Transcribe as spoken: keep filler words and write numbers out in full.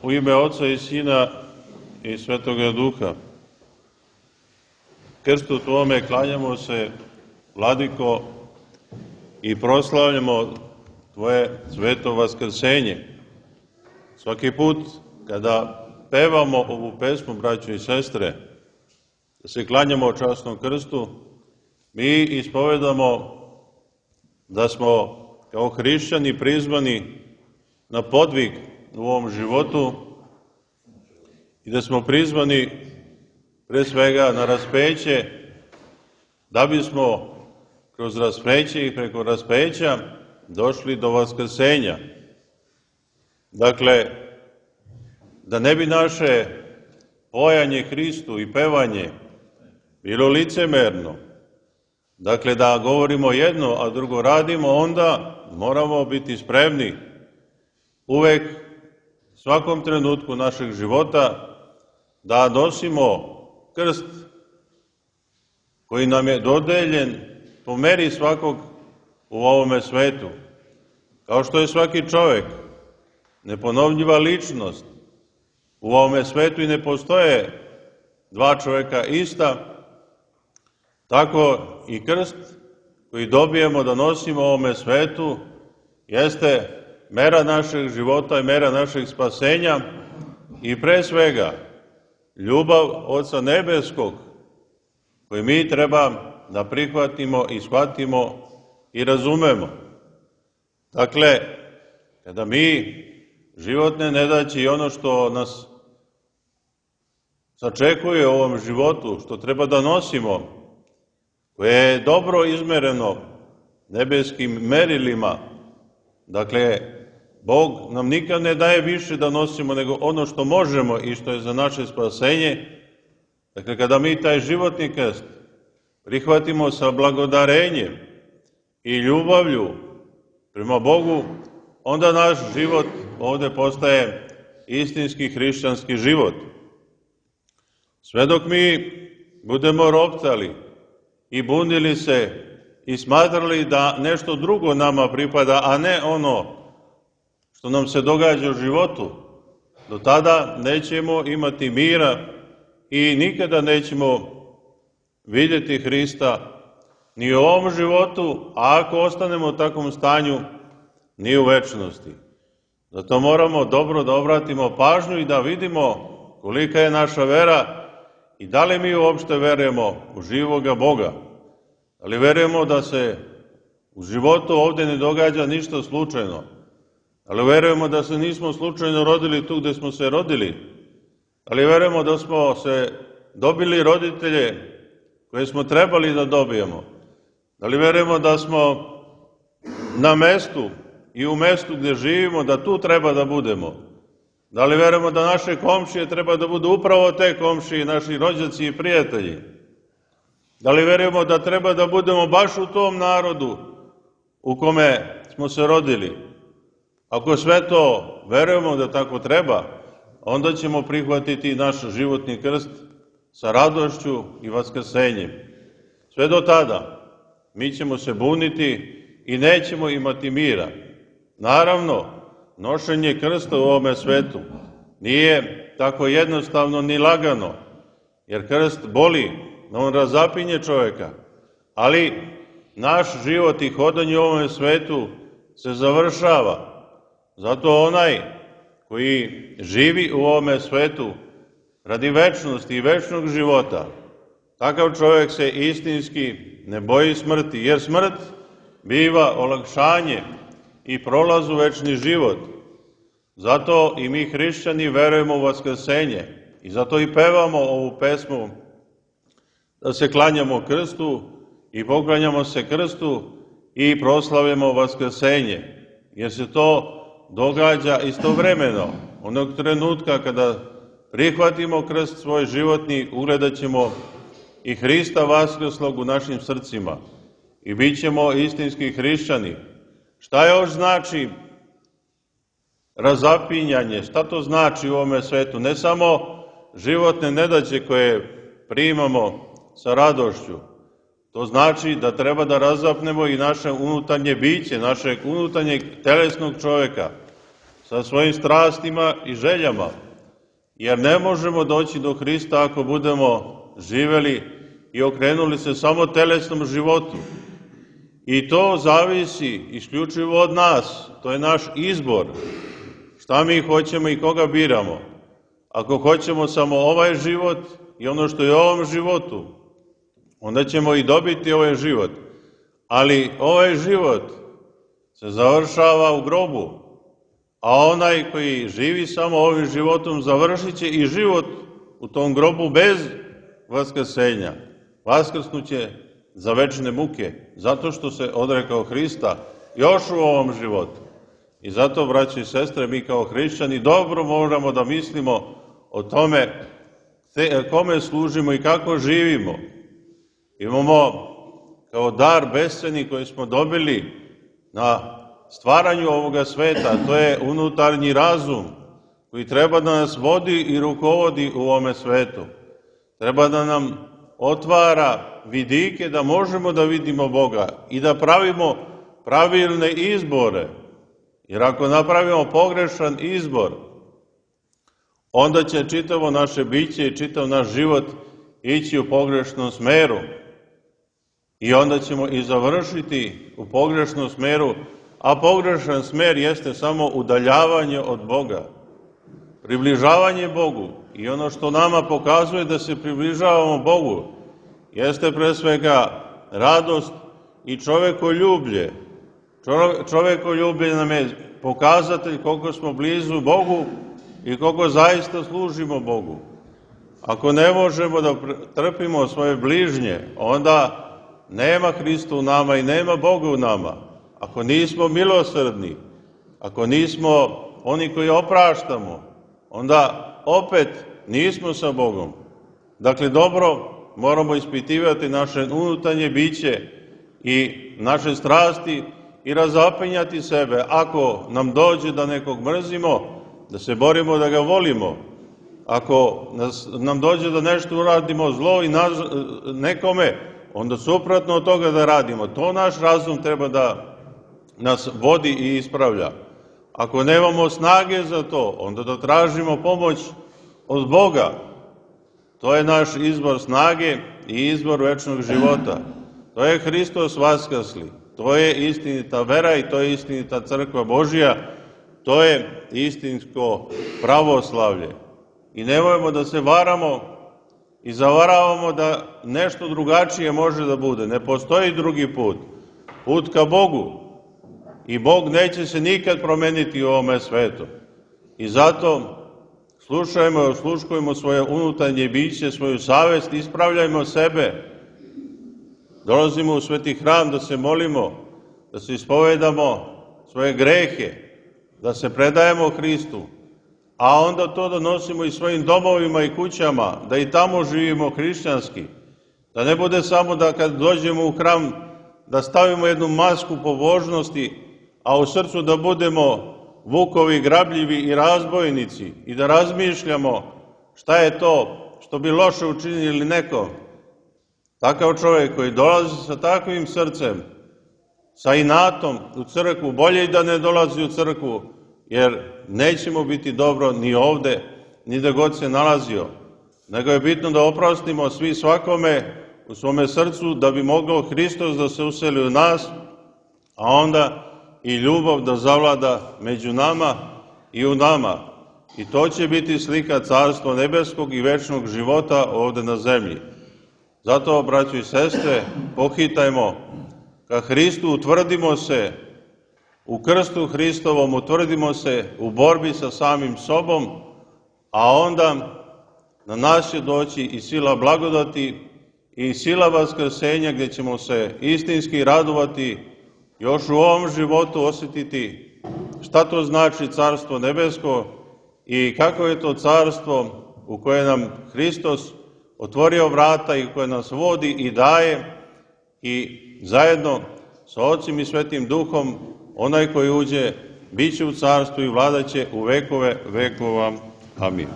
U ime Oca i Sina i Svetoga Duha. Krstu Tvome klanjamo se, Vladiko, i proslavljamo Tvoje sveto vaskrsenje. Svaki put kada pevamo ovu pesmu, braćo i sestre, da se klanjamo časnom krstu, mi ispovedamo da smo kao hrišćani prizvani na podvig u ovom životu i da smo prizvani pre svega na raspeće, da bismo kroz raspeće i preko raspeća došli do vaskrsenja. Dakle, da ne bi naše pojanje Hristu i pevanje bilo licemerno, dakle da govorimo jedno, a drugo radimo, onda moramo biti spremni uvek, svakom trenutku našeg života, da nosimo krst koji nam je dodeljen po meri svakog u ovome svetu. Kao što je svaki čovek neponovljiva ličnost u ovome svetu i ne postoje dva čoveka ista, tako i krst koji dobijemo da nosimo u ovome svetu jeste mera našeg života i mera našeg spasenja i pre svega ljubav Oca Nebeskog koju mi treba da prihvatimo i shvatimo i razumemo. Dakle, kada mi životne nedaće i ono što nas sačekuje u ovom životu, što treba da nosimo, koje je dobro izmereno nebeskim merilima, dakle, Bog nam nikad ne daje više da nosimo nego ono što možemo i što je za naše spasenje. Dakle, kada mi taj životni krst prihvatimo sa blagodarenjem i ljubavlju prema Bogu, onda naš život ovde postaje istinski hrišćanski život. Sve dok mi budemo roptali i bunili se i smatrali da nešto drugo nama pripada, a ne ono što nam se događa u životu, do tada nećemo imati mira i nikada nećemo vidjeti Hrista ni u ovom životu, a ako ostanemo u takvom stanju, ni u večnosti. Zato moramo dobro da obratimo pažnju i da vidimo kolika je naša vera i da li mi uopšte verujemo u živoga Boga. Da li verujemo da se u životu ovde ne događa ništa slučajno? Da li verujemo da se nismo slučajno rodili tu gde smo se rodili? Da li verujemo da smo se dobili roditelje koje smo trebali da dobijemo? Da li verujemo da smo na mestu i u mestu gde živimo, da tu treba da budemo? Da li verujemo da naše komšije treba da budu upravo te komšije, naši rođaci i prijatelji? Da li verujemo da treba da budemo baš u tom narodu u kome smo se rodili? Ako sve to verujemo da tako treba, onda ćemo prihvatiti naš životni krst sa radošću i vaskrsenjem. Sve do tada mi ćemo se buniti i nećemo imati mira. Naravno, nošenje krsta u ovome svetu nije tako jednostavno ni lagano, jer krst boli, on razapinje čoveka, ali naš život i hodanje u ovome svetu se završava. Zato onaj koji živi u ovome svetu radi večnosti i večnog života, takav čovjek se istinski ne boji smrti, jer smrt biva olakšanje i prolaz u večni život. Zato i mi hrišćani verujemo u vaskrsenje i zato i pevamo ovu pesmu da se klanjamo krstu i poklanjamo se krstu i proslavljamo vaskrsenje, jer se to događa istovremeno. Onog trenutka kada prihvatimo krst svoj životni, ugledat ćemo i Hrista vaskrslog u našim srcima i bit ćemo istinski hrišćani. Šta još znači razapinjanje? Šta to znači u ovome svetu? Ne samo životne nedaće koje primamo sa radošću. To znači da treba da razapnemo i naše unutarnje biće, našeg unutarnjeg telesnog čoveka. sa svojim strastima i željama, jer ne možemo doći do Hrista ako budemo živeli i okrenuli se samo telesnom životu. I to zavisi isključivo od nas, to je naš izbor, šta mi hoćemo i koga biramo. Ako hoćemo samo ovaj život i ono što je u ovom životu, onda ćemo i dobiti ovaj život. Ali ovaj život se završava u grobu, a onaj koji živi samo ovim životom završit će i život u tom grobu bez vaskrsenja. Vaskrsnuće za večne muke, zato što se odrekao Hrista još u ovom životu. I zato, braći i sestre, mi kao hrišćani dobro moramo da mislimo o tome kome služimo i kako živimo. Imamo kao dar besceni koji smo dobili na stvaranju ovoga sveta, to je unutarnji razum koji treba da nas vodi i rukovodi u ovome svetu. Treba da nam otvara vidike da možemo da vidimo Boga i da pravimo pravilne izbore. Jer ako napravimo pogrešan izbor, onda će čitavo naše biće i čitav naš život ići u pogrešnom smeru. I onda ćemo i završiti u pogrešnom smeru, a pogrešan smer jeste samo udaljavanje od Boga. Približavanje Bogu i ono što nama pokazuje da se približavamo Bogu jeste pre svega radost i čovekoljublje. Čovekoljublje nam je pokazatelj koliko smo blizu Bogu i koliko zaista služimo Bogu. Ako ne možemo da trpimo svoje bližnje, onda nema Hrista u nama i nema Boga u nama. Ako nismo milosrdni, ako nismo oni koji opraštamo, onda opet nismo sa Bogom. Dakle, dobro moramo ispitivati naše unutarnje biće i naše strasti i razapinjati sebe. Ako nam dođe da nekog mrzimo, da se borimo da ga volimo. Ako nas, nam dođe da nešto uradimo zlo i naz, nekome, onda suprotno od toga da radimo. To naš razum treba da nas vodi i ispravlja. Ako nemamo snage za to, onda da tražimo pomoć od Boga. To je naš izbor snage i izbor večnog života. To je Hristos vaskrsli. To je istinita vera i to je istinita crkva Božja. To je istinsko pravoslavlje. I nemojmo da se varamo i zavaravamo da nešto drugačije može da bude. Ne postoji drugi put. Put ka Bogu. I Bog neće se nikad promeniti u ovome svetu. I zato slušajmo i osluškujemo svoje unutarnje biće, svoju savest, ispravljajmo sebe. Dolazimo u sveti hram da se molimo, da se ispovedamo svoje grehe, da se predajemo Hristu, a onda to donosimo i svojim domovima i kućama, da i tamo živimo hrišćanski. Da ne bude samo da kad dođemo u hram da stavimo jednu masku pobožnosti, a u srcu da budemo vukovi, grabljivi i razbojnici i da razmišljamo šta je to što bi loše učinili neko. Takav čovjek koji dolazi sa takvim srcem, sa inatom u crkvu, bolje i da ne dolazi u crkvu, jer nećemo biti dobro ni ovde, ni da god se nalazio. Nego je bitno da oprostimo svi svakome u svome srcu, da bi mogao Hristos da se useli u nas, a onda i ljubav da zavlada među nama i u nama. I to će biti slika Carstva nebeskog i večnog života ovde na zemlji. Zato, braćo i sestre, pohitajmo ka Hristu, utvrdimo se u krstu Hristovom, utvrdimo se u borbi sa samim sobom, a onda na nas će doći i sila blagodati i sila vaskrsenja, gdje ćemo se istinski radovati, još u ovom životu osjetiti šta to znači Carstvo nebesko i kako je to carstvo u koje nam Hristos otvorio vrata i koje nas vodi i daje, i zajedno sa Ocim i Svetim Duhom onaj koji uđe bit će u carstvu i vladaće u vekove vekova. Amin.